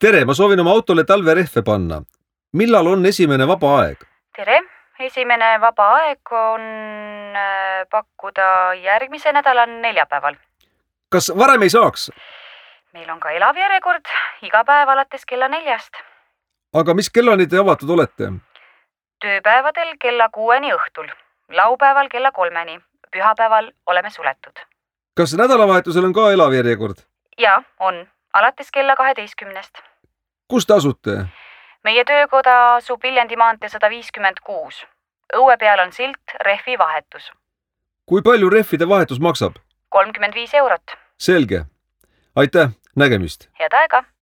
tere, ma soovin oma autole talverehve panna. Millal on esimene vaba aeg? Tere, esimene vaba aeg on pakkuda järgmise nädala neljapäeval. Kas varem ei saaks? Meil on ka elav järjekord iga päev alates kella 4. Aga mis kellani te avatud olete? Tööpäevadel kella 6 õhtul, laupäeval kella 3, pühapäeval oleme suletud. Kas nädalavahetusel on ka elav järjekord? Ja, on. Alates kella 12. Kus te asute? Meie töökoda asub Viljandi maantee 156. Õue peal on silt rehvi vahetus. Kui palju rehvide vahetus maksab? 35 €. Selge. Aitäh, nägemist. Head aega!